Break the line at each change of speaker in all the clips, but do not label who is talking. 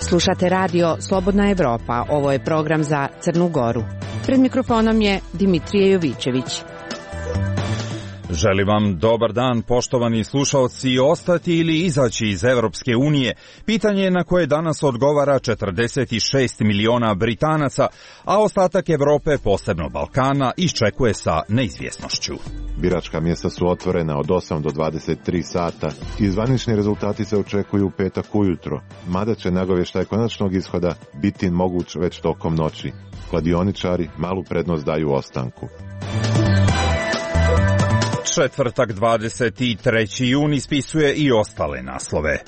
Slušate radio Slobodna Evropa, ovo je program za Crnu Goru. Pred mikrofonom je Dimitrije Jovićević.
Želim vam dobar dan, poštovani slušalci. Ostati ili izaći iz Evropske unije? Pitanje je na koje danas odgovara 46 miliona Britanaca, a ostatak Evrope, posebno Balkana, iščekuje sa neizvjesnošću.
Biračka mjesta su otvorena od 8 do 23 sata i zvanični rezultati se očekuju u petak ujutro, mada će nagovještaj konačnog ishoda biti moguć već tokom noći. Kladioničari malu prednost daju ostanku.
Četvrtak 23. juni spisuje i ostale naslove.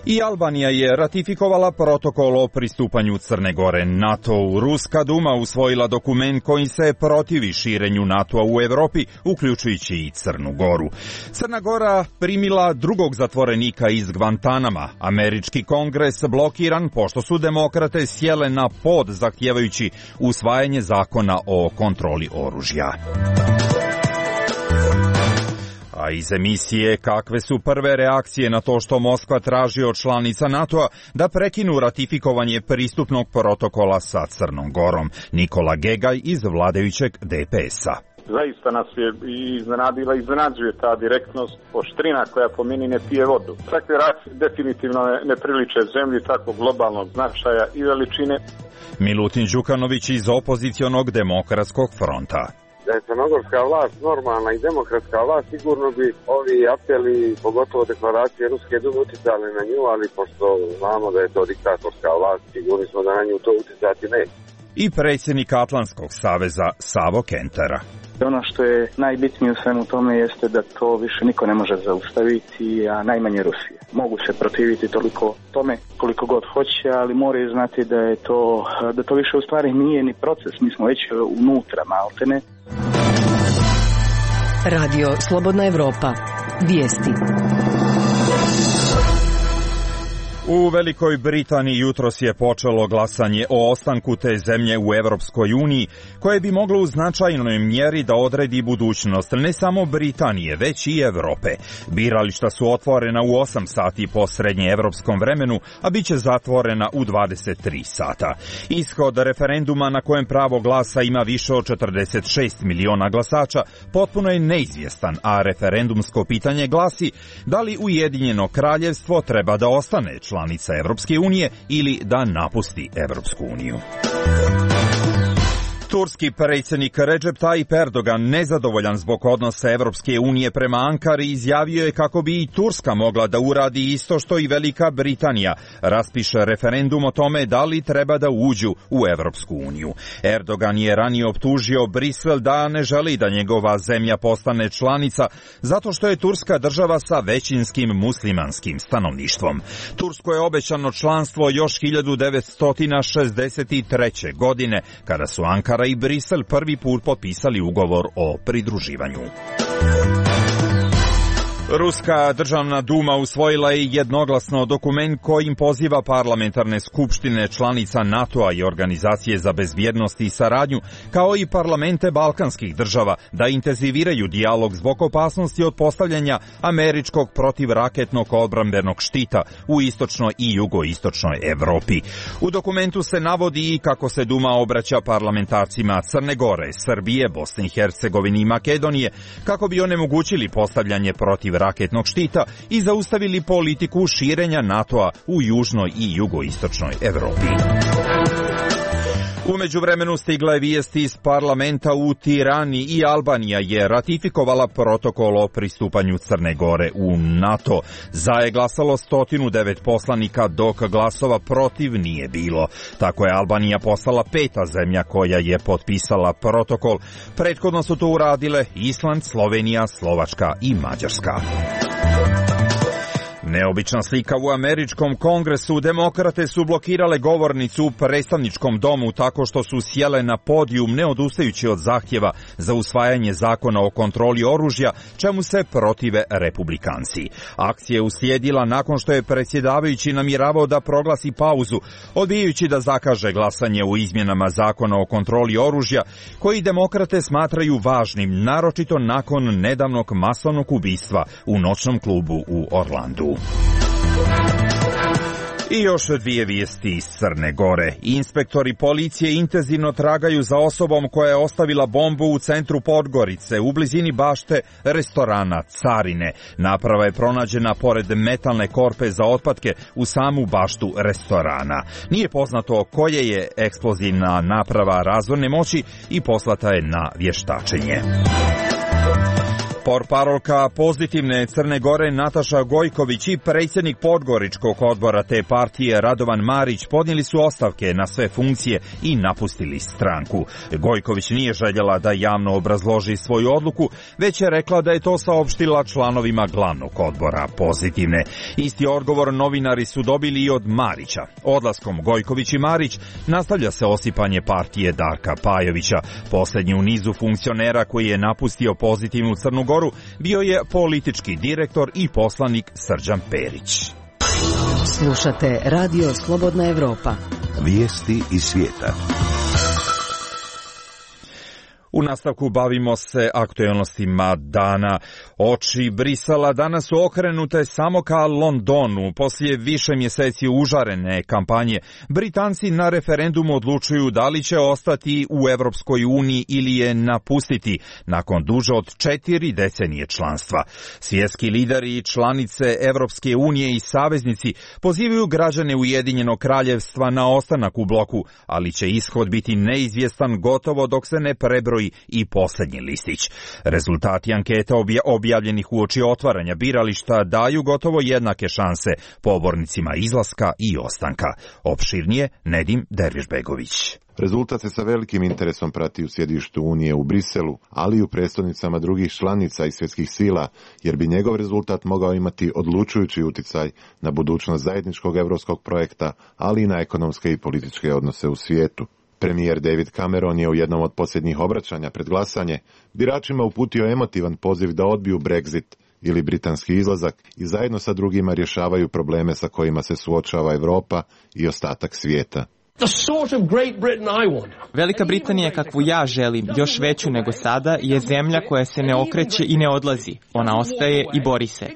I Albanija je ratifikovala protokol o pristupanju Crne Gore NATO-u. Ruska Duma usvojila dokument kojim se protivi širenju NATO-a u Evropi, uključujući i Crnu Goru. Crna Gora primila drugog zatvorenika iz Gvantanama. Američki kongres blokiran pošto su demokrate sjele na pod zahtijevajući usvajanje zakona o kontroli oružja. A iz emisije kakve su prve reakcije na to što Moskva traži od članica NATO-a da prekinu ratifikovanje pristupnog protokola sa Crnom Gorom. Nikola Gegaj iz vladajućeg DPS-a.
Zaista nas je iznenadila i iznenađuje ta direktnost, oštrina koja po meni ne pije vodu. Takve reakcije definitivno ne priliče zemlji takvog globalnog značaja i veličine.
Milutin Đukanović iz opozicionog demokratskog fronta.
Da je crnogorska vlast normalna i demokratska vlast, sigurno bi ovi apeli, pogotovo deklaracije Ruske Dume, uticali na nju, ali pošto znamo da je to diktatorska vlast, sigurni smo da na nju to uticati neće.
I predsjednik Atlantskog saveza Savo Kentera.
Ono što je najbitnije u svemu tome jeste da to više niko ne može zaustaviti, a najmanje Rusije. Mogu se protiviti toliko tome koliko god hoće, ali moraju znati da to više u stvari nije ni proces, mi smo već unutra maltene.
Radio Slobodna Evropa. Vijesti.
U Velikoj Britaniji jutros je počelo glasanje o ostanku te zemlje u Evropskoj uniji, koje bi moglo u značajnoj mjeri da odredi budućnost ne samo Britanije, već i Evrope. Birališta su otvorena u 8 sati po srednjeevropskom vremenu, a bit će zatvorena u 23 sata. Ishod referenduma na kojem pravo glasa ima više od 46 miliona glasača potpuno je neizvjestan, a referendumsko pitanje glasi da li Ujedinjeno kraljevstvo treba da ostane članica Evropske unije ili da napusti Evropsku uniju. Turski predsjednik Recep Tayyip Erdogan, nezadovoljan zbog odnosa Evropske unije prema Ankari, izjavio je kako bi i Turska mogla da uradi isto što i Velika Britanija, raspiše referendum o tome da li treba da uđu u Evropsku uniju. Erdogan je ranije optužio Brisel da ne želi da njegova zemlja postane članica zato što je Turska država sa većinskim muslimanskim stanovništvom. Tursko je obećano članstvo još 1963. godine, kada su Ankara i Brisel prvi put potpisali ugovor o pridruživanju. Ruska državna duma usvojila je jednoglasno dokument kojim poziva parlamentarne skupštine članica NATO-a i Organizacije za bezbjednost i saradnju, kao i parlamente balkanskih država, da intenziviraju dijalog zbog opasnosti od postavljanja američkog protivraketnog odbrambenog štita u istočnoj i jugoistočnoj Evropi. U dokumentu se navodi i kako se Duma obraća parlamentarcima Crne Gore, Srbije, Bosne i Hercegovine i Makedonije, kako bi onemogućili postavljanje protivraketnog štita i zaustavili politiku širenja NATO-a u južnoj i jugoistočnoj Evropi. U međuvremenu stigla je vijesti iz parlamenta u Tirani i Albanija je ratifikovala protokol o pristupanju Crne Gore u NATO. Za je glasalo 109 poslanika, dok glasova protiv nije bilo. Tako je Albanija postala 5. zemlja koja je potpisala protokol. Prethodno su to uradile Island, Slovenija, Slovačka i Mađarska. Neobična slika u američkom kongresu. Demokrate su blokirale govornicu u predstavničkom domu tako što su sjele na podijum ne odustajući od zahtjeva za usvajanje zakona o kontroli oružja, čemu se protive republikanci. Akcija je uslijedila nakon što je predsjedavajući namjeravao da proglasi pauzu, odbijajući da zakaže glasanje u izmjenama zakona o kontroli oružja, koji demokrate smatraju važnim, naročito nakon nedavnog masovnog ubistva u noćnom klubu u Orlandu. I još dvije vijesti iz Crne Gore. Inspektori policije intenzivno tragaju za osobom koja je ostavila bombu u centru Podgorice, u blizini bašte restorana Carine. Naprava je pronađena pored metalne korpe za otpadke u samu baštu restorana. Nije poznato koje je eksplozivna naprava razorne moći i poslata je na vještačenje. Portparolka Pozitivne Crne Gore Nataša Gojković i predsjednik Podgoričkog odbora te partije Radovan Marić podnijeli su ostavke na sve funkcije i napustili stranku. Gojković nije željela da javno obrazloži svoju odluku, već je rekla da je to saopštila članovima glavnog odbora Pozitivne. Isti odgovor novinari su dobili i od Marića. Odlaskom Gojković i Marić nastavlja se osipanje partije Darka Pajovića. Posljednji u nizu funkcionera koji je napustio Pozitivnu Crnu Goru bio je politički direktor i poslanik Srđan Perić.
Slušate Radio Slobodna Evropa.
Vijesti iz svijeta.
U nastavku bavimo se aktualnostima dana. Oči Brisela danas su okrenute samo ka Londonu. Poslije više mjeseci užarene kampanje, Britanci na referendumu odlučuju da li će ostati u Europskoj uniji ili je napustiti nakon duže od 4 decenije članstva. Svjetski lideri i članice Europske unije i saveznici pozivaju građane Ujedinjenog kraljevstva na ostanak u bloku, ali će ishod biti neizvjestan gotovo dok se ne prebroji i posljednji listić. Rezultati anketa objavljenih uoči otvaranja birališta daju gotovo jednake šanse pobornicima izlaska i ostanka. Opširnije Nedim Dervišbegović.
Rezultat se sa velikim interesom prati u sjedištu Unije u Briselu, ali i u prestolnicama drugih članica i svjetskih sila, jer bi njegov rezultat mogao imati odlučujući utjecaj na budućnost zajedničkog europskog projekta, ali i na ekonomske i političke odnose u svijetu. Premijer David Cameron je u jednom od posljednjih obraćanja pred glasanje biračima uputio emotivan poziv da odbiju Brexit ili britanski izlazak i zajedno sa drugima rješavaju probleme sa kojima se suočava Europa i ostatak svijeta.
Velika Britanija kakvu ja želim, još veću nego sada, je zemlja koja se ne okreće i ne odlazi. Ona ostaje i bori se.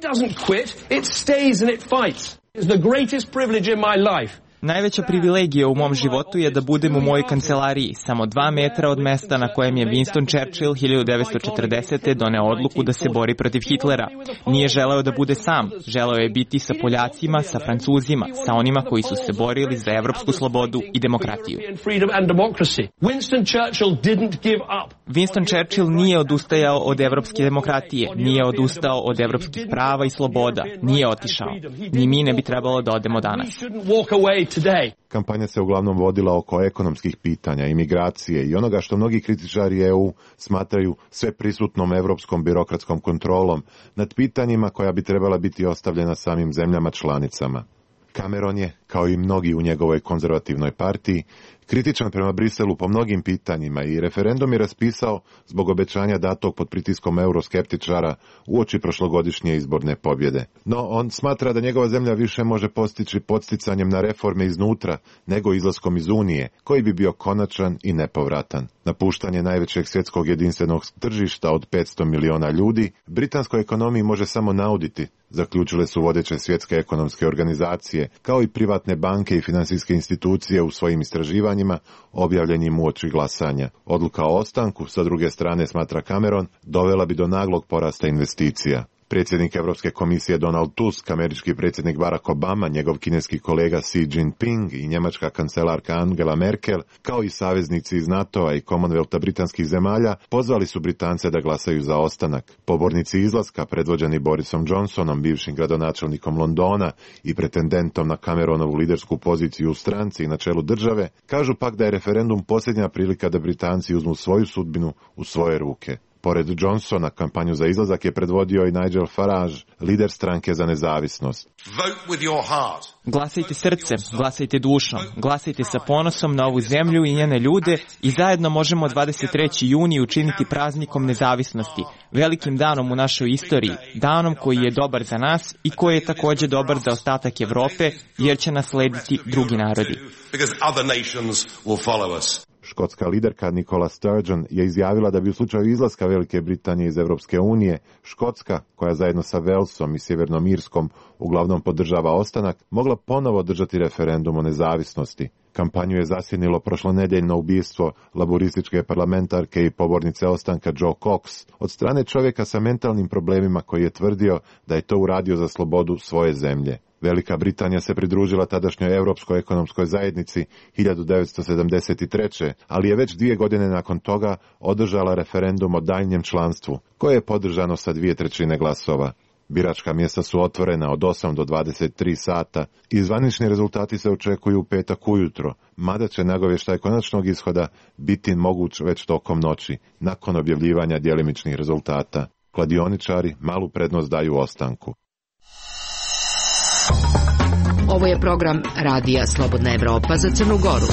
Najveća privilegija u mom životu je da budem u mojoj kancelariji, samo 2 metra od mesta na kojem je Winston Churchill 1940. doneo odluku da se bori protiv Hitlera. Nije želeo da bude sam, želeo je biti sa Poljacima, sa Francuzima, sa onima koji su se borili za evropsku slobodu i demokratiju. Winston Churchill nije odustajao od evropske demokratije, nije odustao od evropskih prava i sloboda, nije otišao. Ni mi ne bi trebalo da odemo danas.
Kampanja se uglavnom vodila oko ekonomskih pitanja, imigracije i onoga što mnogi kritičari EU smatraju sveprisutnom europskom birokratskom kontrolom nad pitanjima koja bi trebala biti ostavljena samim zemljama članicama. Cameron je, kao i mnogi u njegovoj konzervativnoj partiji, kritičan prema Briselu po mnogim pitanjima i referendum je raspisao zbog obećanja datog pod pritiskom euroskeptičara uoči prošlogodišnje izborne pobjede. No, on smatra da njegova zemlja više može postići podsticanjem na reforme iznutra nego izlaskom iz Unije, koji bi bio konačan i nepovratan. Napuštanje najvećeg svjetskog jedinstvenog tržišta od 500 miliona ljudi britanskoj ekonomiji može samo nauditi, zaključile su vodeće svjetske ekonomske organizacije, kao i privatne banke i financijske institucije u svojim istraživanjima objavljenim uoči glasanja. Odluka o ostanku, sa druge strane, smatra Cameron, dovela bi do naglog porasta investicija. Predsjednik Europske komisije Donald Tusk, američki predsjednik Barack Obama, njegov kineski kolega Xi Jinping i njemačka kancelarka Angela Merkel, kao i saveznici iz NATO-a i Commonwealtha britanskih zemalja, pozvali su Britance da glasaju za ostanak. Pobornici izlaska, predvođeni Borisom Johnsonom, bivšim gradonačelnikom Londona i pretendentom na Cameronovu lidersku poziciju u stranci i na čelu države, kažu pak da je referendum posljednja prilika da Britanci uzmu svoju sudbinu u svoje ruke. Pored Johnsona, kampanju za izlazak je predvodio i Nigel Farage, lider stranke za nezavisnost.
Glasajte srcem, glasajte dušom, glasajte sa ponosom na ovu zemlju i njene ljude i zajedno možemo 23. juni učiniti praznikom nezavisnosti, velikim danom u našoj istoriji, danom koji je dobar za nas i koji je također dobar za ostatak Evrope, jer će nas slediti drugi narodi.
Škotska liderka Nicola Sturgeon je izjavila da bi u slučaju izlaska Velike Britanije iz Europske unije, Škotska, koja zajedno sa Walesom i Sjevernom Irskom uglavnom podržava ostanak, mogla ponovo održati referendum o nezavisnosti. Kampanju je zasjenilo prošlonedjeljno ubistvo laborističke parlamentarke i pobornice ostanka Joe Cox od strane čovjeka sa mentalnim problemima koji je tvrdio da je to uradio za slobodu svoje zemlje. Velika Britanija se pridružila tadašnjoj Europskoj ekonomskoj zajednici 1973. ali je već 2 godine nakon toga održala referendum o daljnjem članstvu, koje je podržano sa 2/3 glasova. Biračka mjesta su otvorena od 8 do 23 sata i zvanični rezultati se očekuju u petak ujutro, mada će nagovještaj konačnog ishoda biti moguć već tokom noći, nakon objavljivanja djelimičnih rezultata. Kladioničari malu prednost daju ostanku.
Ovo je program Radija Slobodna Evropa za Crnu Goru.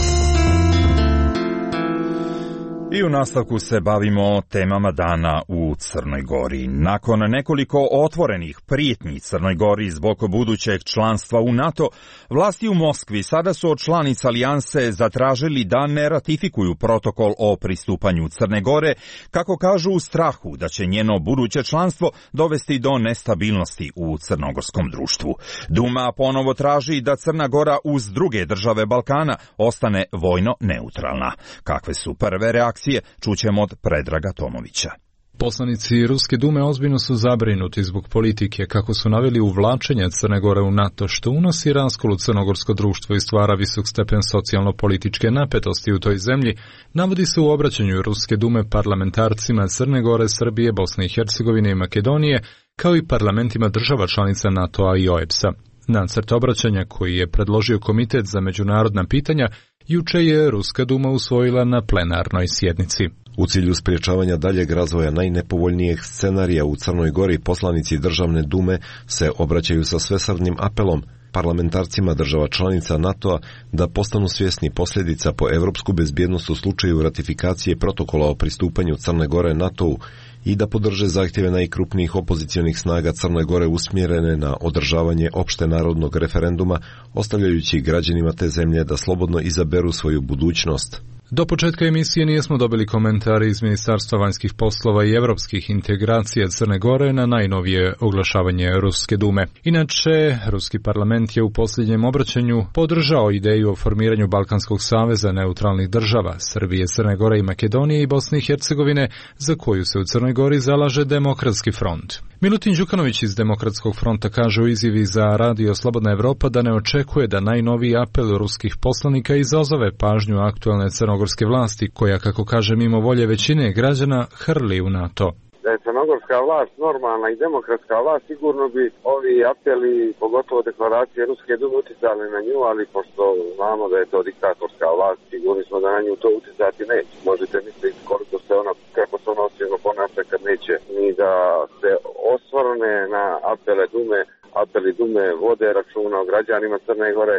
I u nastavku se bavimo temama dana u Crnoj Gori. Nakon nekoliko otvorenih prijetnji Crnoj Gori zbog budućeg članstva u NATO, vlasti u Moskvi sada su od članica alijanse zatražili da ne ratifikuju protokol o pristupanju Crne Gore, kako kažu u strahu da će njeno buduće članstvo dovesti do nestabilnosti u crnogorskom društvu. Duma ponovo traži da Crna Gora uz druge države Balkana ostane vojno neutralna. Kakve su prve reakcije? Čućemo od Predraga Tomovića.
Poslanici Ruske dume ozbiljno su zabrinuti zbog politike, kako su naveli uvlačenje Crne Gore u NATO, što unosi raskol u crnogorsko društvo i stvara visok stepen socijalno-političke napetosti u toj zemlji, navodi se u obraćanju Ruske dume parlamentarcima Crne Gore, Srbije, Bosne i Hercegovine i Makedonije, kao i parlamentima država članica NATO-a i OEBS-a. Nacrt obraćanja koji je predložio Komitet za međunarodna pitanja juče je Ruska duma usvojila na plenarnoj sjednici.
U cilju sprječavanja daljeg razvoja najnepovoljnijeg scenarija u Crnoj Gori, poslanici Državne dume se obraćaju sa svesrdnim apelom parlamentarcima država članica NATO-a da postanu svjesni posljedica po evropsku bezbjednost u slučaju ratifikacije protokola o pristupanju Crne Gore NATO-u i da podrže zahtjeve najkrupnijih opozicionih snaga Crne Gore usmjerene na održavanje opšte narodnog referenduma, ostavljajući građanima te zemlje da slobodno izaberu svoju budućnost.
Do početka emisije nismo dobili komentare iz Ministarstva vanjskih poslova i evropskih integracija Crne Gore na najnovije oglašavanje Ruske dume. Inače, Ruski parlament je u posljednjem obraćanju podržao ideju o formiranju Balkanskog saveza neutralnih država, Srbije, Crne Gore i Makedonije i Bosne i Hercegovine, za koju se u Crnoj Gori zalaže Demokratski front. Milutin Đukanović iz Demokratskog fronta kaže u izjavi za Radio Slobodna Evropa da ne očekuje da najnoviji apel ruskih poslanika izazove pažnju aktualne crnogorske vlasti, koja, kako kaže, mimo volje većine građana hrli u NATO.
Da je crnogorska vlast normalna i demokratska vlast, sigurno bi ovi apeli, pogotovo deklaracije Ruske dume, uticali na nju, ali pošto znamo da je to diktatorska vlast, sigurni smo da na nju to uticati neće. Možete misliti koliko se ona, kako se ona osjećno ponaša kad neće ni da se osvrne na apele dume. Apeli dume vode računa o građanima Crne Gore,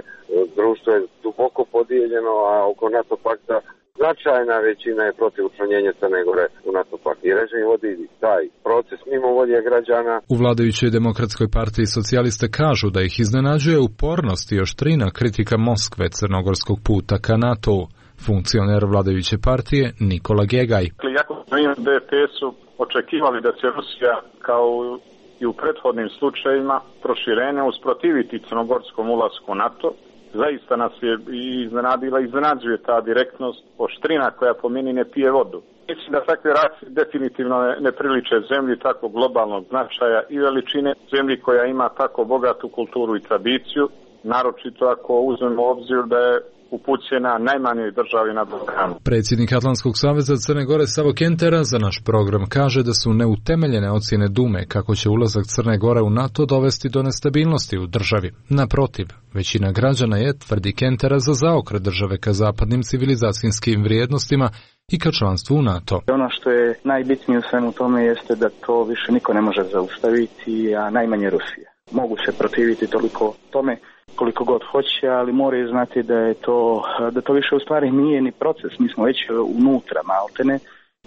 društvo je duboko podijeljeno, a oko NATO pakta značajna većina je protiv učlanjenja Crne Gore u NATO pakt. I režim vodi taj proces mimo volje građana.
U vladajućoj Demokratskoj partiji socijaliste kažu da ih iznenađuje upornost i oštrina kritika Moskve crnogorskog puta ka NATO-u. Funkcioner vladajuće partije Nikola Gegaj.
Jako smo im DPS-u očekivali da će Rusija kao i u prethodnim slučajevima proširenja usprotiviti crnogorskom ulasku u NATO. Zaista nas je iznenadila i iznenađuje ta direktnost, oštrina koja po meni ne pije vodu. Mislim da takve reakcije definitivno ne priliče zemlji tako globalnog značaja i veličine, zemlji koja ima tako bogatu kulturu i tradiciju, naročito ako uzmemo u obzir da je upućena najmanjoj državi na Balkanu.
Predsjednik Atlantskog saveza Crne Gore Savo Kentera za naš program kaže da su neutemeljene ocjene Dume kako će ulazak Crne Gore u NATO dovesti do nestabilnosti u državi. Naprotiv, većina građana je, tvrdi Kentera, za zaokret države ka zapadnim civilizacijskim vrijednostima i ka članstvu u NATO.
Ono što je najbitnije u svemu tome jeste da to više niko ne može zaustaviti, a najmanje Rusija. Mogu se protiviti toliko tome koliko god hoće, ali moraju znati da to više u stvari nije ni proces. Mi smo već unutra maltene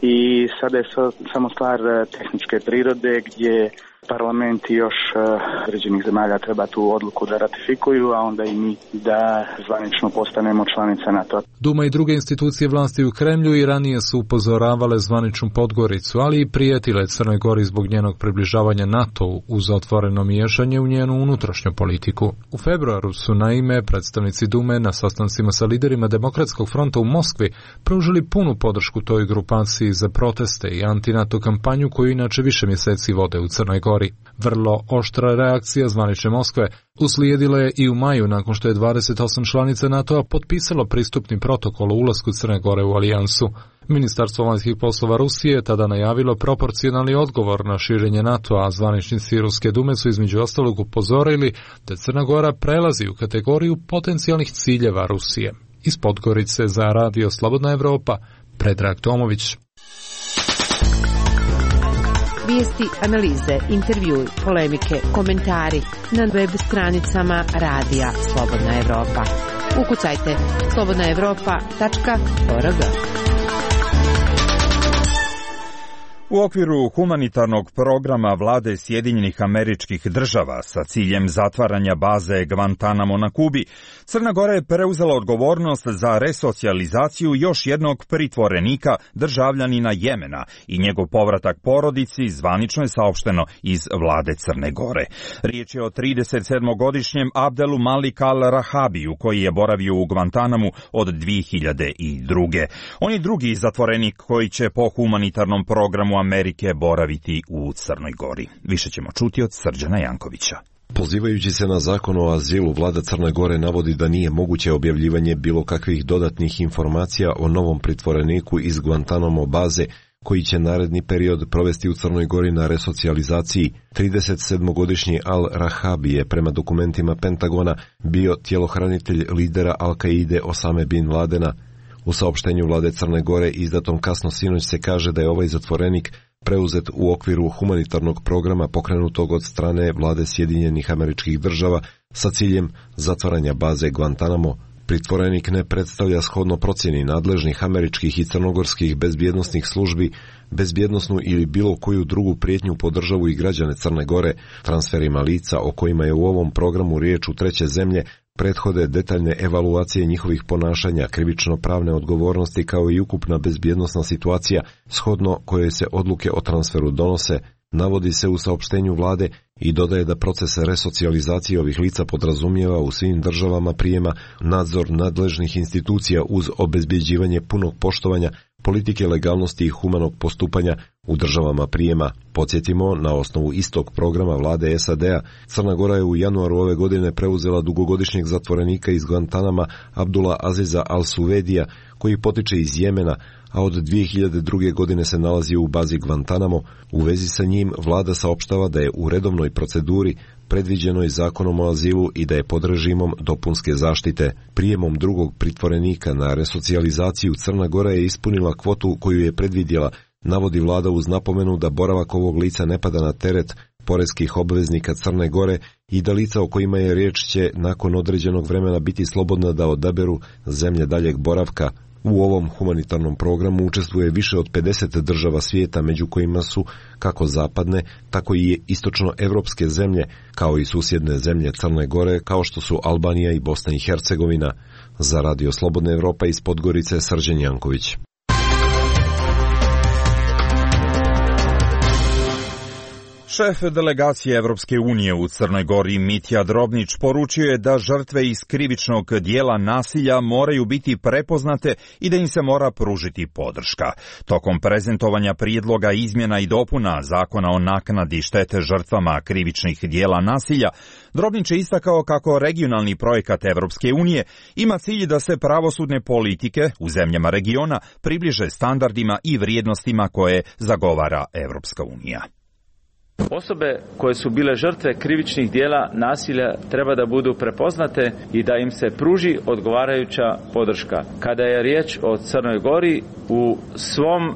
i sada je samo stvar tehničke prirode gdje parlamenti još određenih zemalja treba tu odluku da ratifikuju, a onda i mi da zvanično postanemo članica NATO.
Duma i druge institucije vlasti u Kremlju i ranije su upozoravale zvaničnu Podgoricu, ali i prijetile Crnoj Gori zbog njenog približavanja NATO-u uz otvoreno miješanje u njenu unutrašnju politiku. U februaru su naime predstavnici Dume na sastancima sa liderima Demokratskog fronta u Moskvi pružili punu podršku toj grupaciji za proteste i anti-NATO kampanju koju inače više mjeseci vode u Crnoj Gori. Vrlo oštra reakcija zvanične Moskve uslijedila je i u maju nakon što je 28 članica NATO-a potpisalo pristupni protokol o ulasku Crne Gore u alijansu. Ministarstvo vanjskih poslova Rusije je tada najavilo proporcionalni odgovor na širenje NATO-a, a zvaničnici Ruske Dume su između ostalog upozorili da Crna Gora prelazi u kategoriju potencijalnih ciljeva Rusije. Iz Podgorice za Radio Slobodna Evropa, Predrag Tomović.
Vijesti, analize, intervjui, polemike, komentari na web stranicama Radija Slobodna Evropa. Ukucajte slobodnaevropa.org.
U okviru humanitarnog programa vlade Sjedinjenih Američkih Država sa ciljem zatvaranja baze Guantanamo na Kubi, Crna Gora je preuzela odgovornost za resocijalizaciju još jednog pritvorenika, državljanina Jemena, i njegov povratak porodici, zvanično je saopšteno iz vlade Crne Gore. Riječ je o 37-godišnjem Abdelu Malik al-Rahabiju, koji je boravio u Guantanamu od 2002. On je drugi zatvorenik koji će po humanitarnom programu Amerike boraviti u Crnoj Gori. Više ćemo čuti od Srđana Jankovića.
Pozivajući se na zakon o azilu, vlada Crne Gore navodi da nije moguće objavljivanje bilo kakvih dodatnih informacija o novom pritvoreniku iz Guantanamo baze koji će naredni period provesti u Crnoj Gori na resocijalizaciji. 37-godišnji al-Rahabi je prema dokumentima Pentagona bio tjelohranitelj lidera Al-Kaide Osame bin Ladena. U saopštenju vlade Crne Gore izdatom kasno sinoć se kaže da je ovaj zatvorenik preuzet u okviru humanitarnog programa pokrenutog od strane vlade Sjedinjenih Američkih Država sa ciljem zatvaranja baze Guantanamo. Pritvorenik ne predstavlja shodno procjeni nadležnih američkih i crnogorskih bezbjednosnih službi bezbjednosnu ili bilo koju drugu prijetnju po državu i građane Crne Gore. Transferima lica o kojima je u ovom programu riječ u treće zemlje prethode detaljne evaluacije njihovih ponašanja, krivično-pravne odgovornosti kao i ukupna bezbjednosna situacija shodno koje se odluke o transferu donose, navodi se u saopštenju vlade i dodaje da proces resocijalizacije ovih lica podrazumijeva u svim državama prijema nadzor nadležnih institucija uz obezbjeđivanje punog poštovanja politike legalnosti i humanog postupanja u državama prijema. Podsjetimo, na osnovu istog programa vlade SAD-a, Crna Gora je u januaru ove godine preuzela dugogodišnjeg zatvorenika iz Guantanama Abdula Aziza al-Suvedija, koji potiče iz Jemena, a od 2002. godine se nalazi u bazi Guantanamo. U vezi sa njim vlada saopštava da je u redovnoj proceduri predviđenoj zakonom o azilu i da je pod režimom dopunske zaštite. Prijemom drugog pritvorenika na resocijalizaciju Crna Gora je ispunila kvotu koju je predvidjela, navodi vlada uz napomenu da boravak ovog lica ne pada na teret poreskih obveznika Crne Gore i da lica o kojima je riječ će nakon određenog vremena biti slobodna da odaberu zemlje daljeg boravka. U ovom humanitarnom programu učestvuje više od 50 država svijeta, među kojima su kako zapadne, tako i istočnoevropske zemlje, kao i susjedne zemlje Crne Gore, kao što su Albanija i Bosna i Hercegovina. Za Radio Slobodna Evropa iz Podgorice, Srđan Janković.
Šef delegacije Evropske unije u Crnoj Gori Mitja Drobnić poručio je da žrtve iz krivičnog dijela nasilja moraju biti prepoznate i da im se mora pružiti podrška. Tokom prezentovanja prijedloga izmjena i dopuna Zakona o naknadi štete žrtvama krivičnih dijela nasilja, Drobnić je istakao kako regionalni projekat Evropske unije ima cilj da se pravosudne politike u zemljama regiona približe standardima i vrijednostima koje zagovara Evropska unija.
Osobe koje su bile žrtve krivičnih dijela nasilja treba da budu prepoznate i da im se pruži odgovarajuća podrška. Kada je riječ o Crnoj Gori, u svom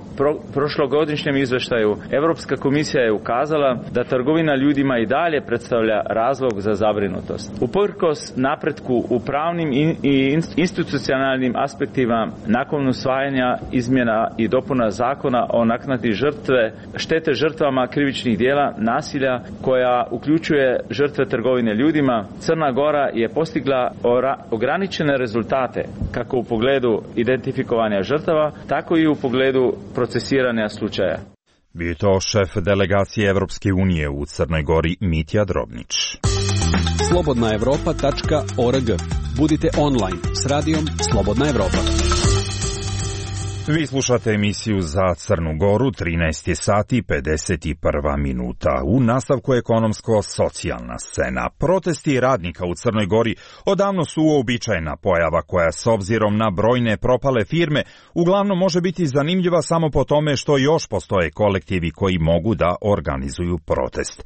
prošlogodišnjem izveštaju Europska komisija je ukazala da trgovina ljudima i dalje predstavlja razlog za zabrinutost. Uprkos napretku u pravnim i institucionalnim aspektima nakon usvajanja izmjena i dopuna Zakona o naknadi štete žrtvama krivičnih dijela vrsta nasilja koja uključuje žrtve trgovine ljudima. Crna Gora je postigla ograničene rezultate kako u pogledu identifikovanja žrtava, tako i u pogledu procesiranja slučaja.
Bio to šef delegacije Evropske unije u Crnoj Gori Mitja Drobnić.
slobodnaevropa.org. Budite online s radijom Slobodna Evropa.
Vi slušate emisiju za Crnu Goru, 13 sati 51 minuta. U nastavku ekonomsko-socijalna scena. Protesti radnika u Crnoj Gori odavno su uobičajena pojava koja s obzirom na brojne propale firme uglavnom može biti zanimljiva samo po tome što još postoje kolektivi koji mogu da organizuju protest.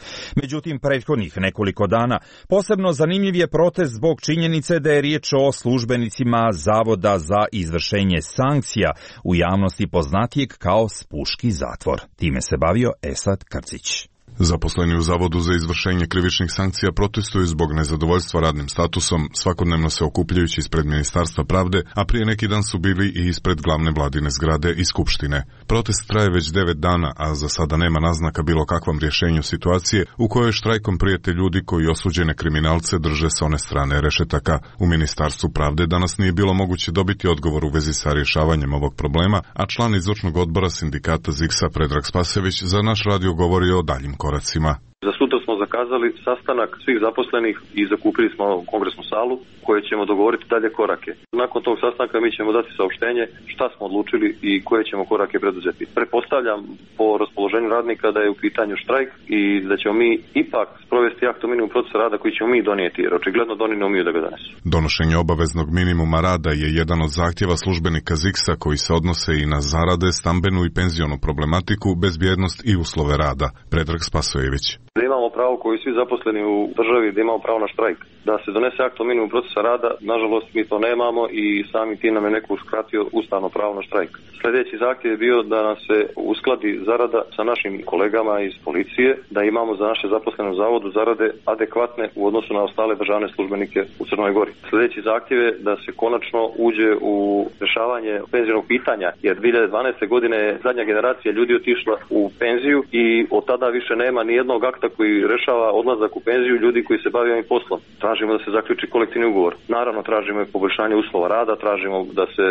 Međutim, prethodnih nekoliko dana posebno zanimljiv je protest zbog činjenice da je riječ o službenicima Zavoda za izvršenje sankcija, u javnosti poznatijeg kao Spuški zatvor. Time se bavio Esad Krcić.
Zaposleni u Zavodu za izvršenje krivičnih sankcija protestuju zbog nezadovoljstva radnim statusom, svakodnevno se okupljajući ispred Ministarstva pravde, a prije neki dan su bili i ispred glavne vladine zgrade i Skupštine. Protest traje već 9 dana, a za sada nema naznaka bilo kakvom rješenju situacije u kojoj štrajkom prijete ljudi koji osuđene kriminalce drže s one strane rešetaka. U Ministarstvu pravde danas nije bilo moguće dobiti odgovor u vezi sa rješavanjem ovog problema, a član izvršnog odbora sindikata ZIKS-a Predrag Spasojević za naš radio govori o daljim koracima.
Za sutra smo zakazali sastanak svih zaposlenih i zakupili smo kongresnu salu koje ćemo dogovoriti dalje korake. Nakon tog sastanka mi ćemo dati saopštenje šta smo odlučili i koje ćemo korake preduzeti. Pretpostavljam po raspoloženju radnika da je u pitanju štrajk i da ćemo mi ipak sprovesti akt o minimumu procesa rada koji ćemo mi donijeti, jer očigledno da oni ne umiju da ga donesu.
Donošenje obaveznog minimuma rada je jedan od zahtjeva službenika ZIKS-a koji se odnose i na zarade, stambenu i penzionu problematiku, bezbjednost i uslove rada. Predrag Spasojević.
Da imamo pravo koji svi zaposleni u državi, da imamo pravo na štrajk. Da se donese akt o minimumu procesa rada, nažalost mi to nemamo i sami tim nam je neko uskratio ustavno pravo na štrajk. Sljedeći zahtjev je bio da nam se uskladi zarada sa našim kolegama iz policije, da imamo za naše zaposlene u zavodu zarade adekvatne u odnosu na ostale državne službenike u Crnoj Gori. Sljedeći zahtjev je da se konačno uđe u rješavanje penzionog pitanja, jer 2012. godine je zadnja generacija ljudi otišla u penziju i od tada više nema ni jednog akta koji rešava odlazak u penziju ljudi koji se bave ovim poslom. Tražimo da se zaključi kolektivni ugovor. Naravno, tražimo i poboljšanje uslova rada, tražimo da se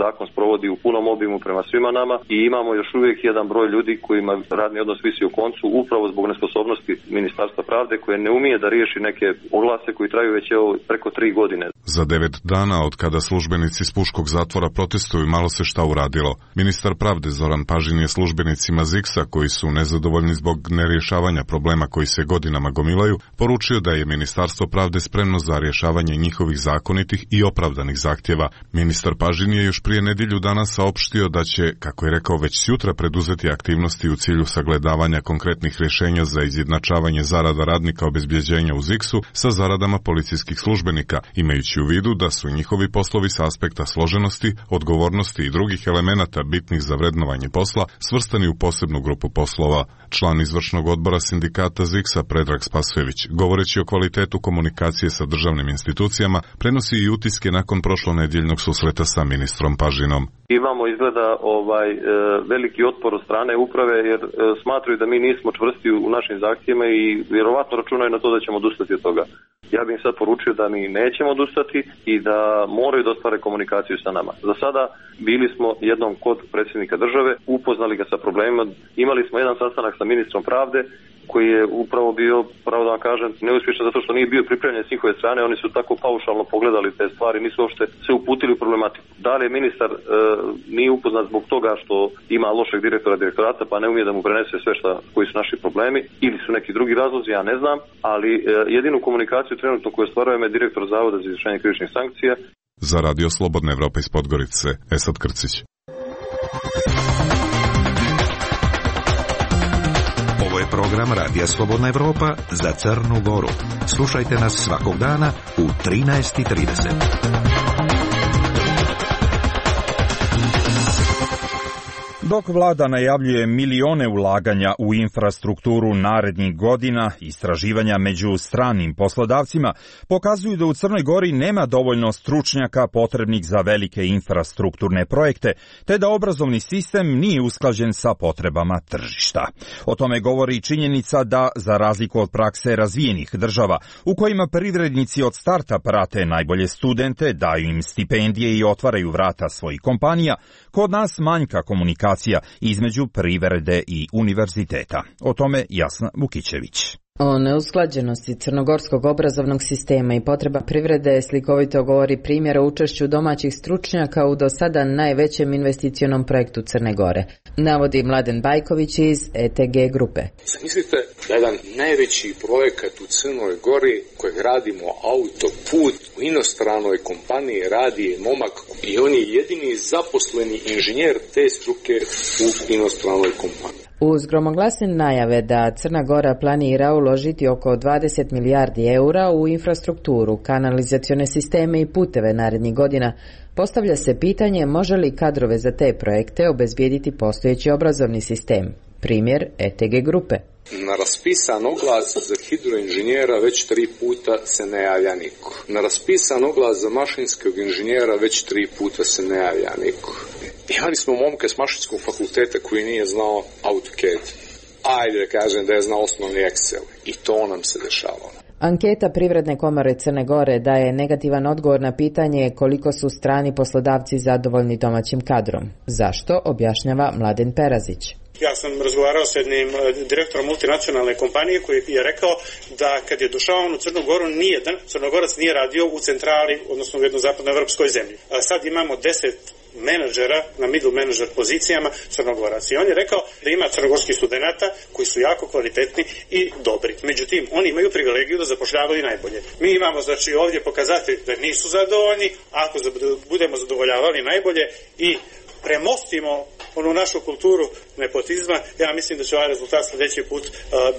zakon sprovodi u punom obimu prema svima nama i imamo još uvijek jedan broj ljudi kojima radni odnos visi u koncu upravo zbog nesposobnosti Ministarstva pravde koje ne umije da riješi neke oglase koji traju već preko 3 godine.
Za 9 dana od kada službenici Spuškog zatvora protestuju malo se šta uradilo. Ministar pravde Zoran Pažin je službenicima ZIKS-a koji su nezadovoljni zbog nerješavanja problema koji se godinama gomilaju, poručio da je Ministarstvo pravde spremno za rješavanje njihovih zakonitih i opravdanih zahtjeva. Ministar Pažin je još prije nedjelju dana saopštio da će, kako je rekao, već sutra preduzeti aktivnosti u cilju sagledavanja konkretnih rješenja za izjednačavanje zarada radnika obezbjeđenja u ZIKS-u sa zaradama policijskih službenika, imajući u vidu da su njihovi poslovi s aspekta složenosti, odgovornosti i drugih elemenata bitnih za vrednovanje posla svrstani u posebnu grupu poslova. Član izvršnog odbora sindikata ZIKS-a Predrag Spasojević, govoreći o kvalitetu komunikacije sa državnim institucijama, prenosi i utiske nakon prošlonedjeljnog susreta sa ministrom Pažinom.
Imamo izgleda veliki otpor od strane uprave jer smatraju da mi nismo čvrsti u našim zahtjevima i vjerovatno računaju na to da ćemo odustati od toga. Ja bih im sad poručio da mi nećemo odustati i da moraju da ostvare komunikaciju sa nama. Za sada bili smo jednom kod predsjednika države, upoznali ga sa problemima, imali smo jedan sastanak sa ministrom pravde koji je upravo bio, pravo da vam kažem, neuspješan zato što nije bio pripremljen s njihove strane, oni su tako paušalno pogledali te stvari, nisu uopšte se uputili u problematiku. Da li je ministar nije upoznat zbog toga što ima lošeg direktorata pa ne umije da mu prenese sve koji su naši problemi ili su neki drugi razlozi, ja ne znam, ali jedinu komunikaciju trenutno koju ostvarujemo je direktor Zavoda za izvršenje krivičnih sankcija.
Za Radio Slobodna Evropa iz Podgorice, Esad Krcić.
Ovo je program Radija Slobodna Evropa za Crnu Goru. Slušajte nas svakog dana u 13:30.
Dok vlada najavljuje milione ulaganja u infrastrukturu narednih godina, istraživanja među stranim poslodavcima pokazuju da u Crnoj Gori nema dovoljno stručnjaka potrebnih za velike infrastrukturne projekte, te da obrazovni sistem nije usklađen sa potrebama tržišta. O tome govori činjenica da, za razliku od prakse razvijenih država, u kojima privrednici od starta prate najbolje studente, daju im stipendije i otvaraju vrata svojih kompanija, kod nas manjka komunikacija između privrede i univerziteta. O tome Jasna Vukićević.
O neusklađenosti crnogorskog obrazovnog sistema i potreba privrede slikovito govori primjer o učešću domaćih stručnjaka u do sada najvećem investicionom projektu Crne Gore, navodi Mladen Bajković iz ETG grupe.
Zamislite da jedan najveći projekat u Crnoj Gori kojeg radimo autoput u inostranoj kompaniji radi momak i on je jedini zaposleni inženjer te struke u inostranoj kompaniji.
Uz gromoglasne najave da Crna Gora planira uložiti oko 20 milijardi eura u infrastrukturu, kanalizacione sisteme i puteve narednih godina, postavlja se pitanje može li kadrove za te projekte obezbijediti postojeći obrazovni sistem. Primjer ETG grupe.
Na raspisan oglas za hidroinženjera već 3 puta se ne javlja niko. Na raspisan oglas za mašinskog inženjera već 3 puta se ne javlja niko. Imali smo momka s mašinskog fakulteta koji nije znao AutoCAD. Ajde da kažem da je znao osnovni Excel. I to nam se dešavalo.
Anketa Privredne komore Crne Gore daje negativan odgovor na pitanje koliko su strani poslodavci zadovoljni domaćim kadrom. Zašto, objašnjava Mladen Perazić.
Ja sam razgovarao s jednim direktorom multinacionalne kompanije koji je rekao da kad je došao on u Crnu Goru, nijedan Crnogorac nije radio u centrali, odnosno u jednoj zapadnoevropskoj zemlji. A sad imamo 10 menadžera na middle manager pozicijama Crnogorac. I on je rekao da ima crnogorskih studenata koji su jako kvalitetni i dobri. Međutim, oni imaju privilegiju da zapošljavaju najbolje. Mi imamo znači ovdje pokazatelj da nisu zadovoljni, ako budemo zadovoljavali najbolje i premostimo onu našu kulturu nepotizma, ja mislim da će ovaj rezultat sljedeći put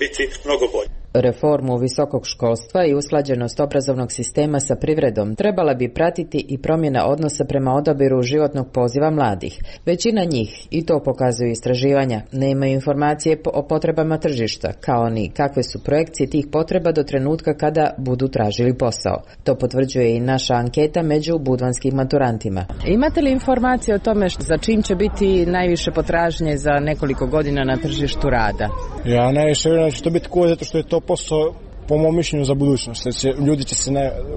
biti mnogo bolji.
Reformu visokog školstva i usklađenost obrazovnog sistema sa privredom trebala bi pratiti i promjena odnosa prema odabiru životnog poziva mladih. Većina njih, i to pokazuju istraživanja, nemaju informacije o potrebama tržišta, kao ni kakve su projekcije tih potreba do trenutka kada budu tražili posao. To potvrđuje i naša anketa među budvanskim maturantima.
Imate li informacije o tome za čim će biti najviše potražnje za nekoliko godina na tržištu rada?
Ja najviše vjerujem da će to biti tako zato što je to posao po mom mišljenju za budućnost. Ljudi će se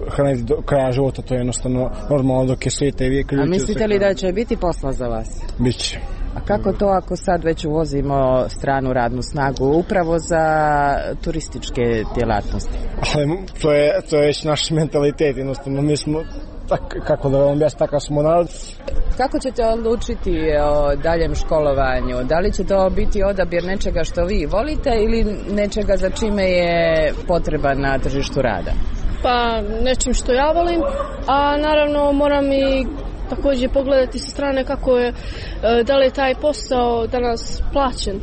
hraniti do kraja života, to je jednostavno normalno dok je svijeta i vijek.
A mislite li da će biti posla za vas?
Biće.
A kako to ako sad već uvozimo stranu radnu snagu upravo za turističke djelatnosti?
Ali to je već naš mentalitet, jednostavno mi smo kako da vam objasnim, takav smo narod.
Kako ćete odlučiti o daljem školovanju? Da li će to biti odabir nečega što vi volite ili nečega za čime je potreba na tržištu rada?
Pa nečim što ja volim, a naravno moram i također pogledati sa strane kako je, da li je taj posao danas plaćen.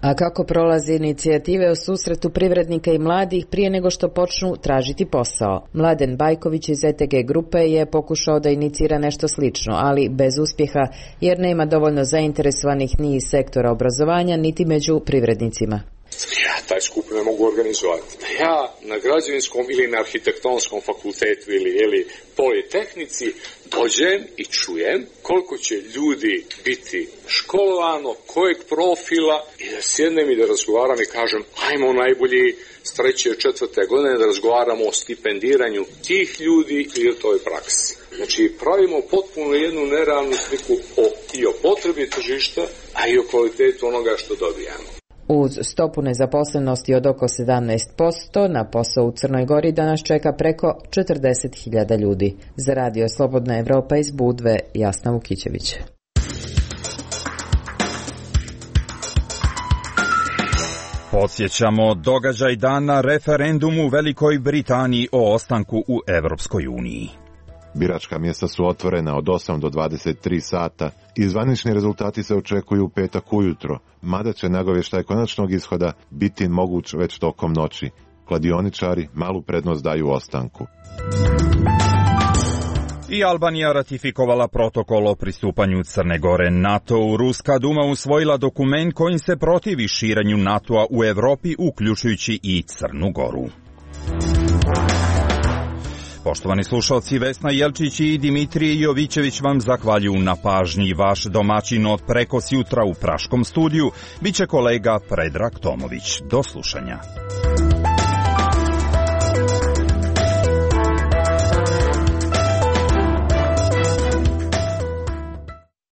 A kako prolazi inicijative o susretu privrednika i mladih prije nego što počnu tražiti posao? Mladen Bajković iz ETG grupe je pokušao da inicira nešto slično, ali bez uspjeha, jer nema dovoljno zainteresovanih ni iz sektora obrazovanja, niti među privrednicima.
Ja taj skup ne mogu organizovati. Ja na građevinskom ili na arhitektonskom fakultetu ili politehnici dođem i čujem koliko će ljudi biti školovano, kojeg profila i da sjednem i da razgovaram i kažem ajmo najbolji s 3. 4. godine da razgovaramo o stipendiranju tih ljudi i o toj praksi. Znači pravimo potpuno jednu nerealnu sliku i o potrebi tržišta, a i o kvalitetu onoga što dobijamo.
Uz stopu nezaposlenosti od oko 17%, na posao u Crnoj Gori danas čeka preko 40.000 ljudi. Za Radio Slobodna Evropa iz Budve, Jasna Vukićević.
Podsjećamo događaj dana referendumu u Velikoj Britaniji o ostanku u Evropskoj uniji.
Biračka mjesta su otvorena od 8 do 23 sata i zvanični rezultati se očekuju u petak ujutro, mada će nagovještaj konačnog ishoda biti moguć već tokom noći. Kladioničari malu prednost daju ostanku.
I Albanija ratifikovala protokol o pristupanju Crne Gore NATO-u. Ruska Duma usvojila dokument kojim se protivi širenju NATO-a u Evropi, uključujući i Crnu Goru. Poštovani slušalci, Vesna Jelčić i Dimitrije Jovićević vam zahvaljuju na pažnji. Vaš domaćin od prekos jutra u Praškom studiju biće kolega Predrag Tomović. Do slušanja.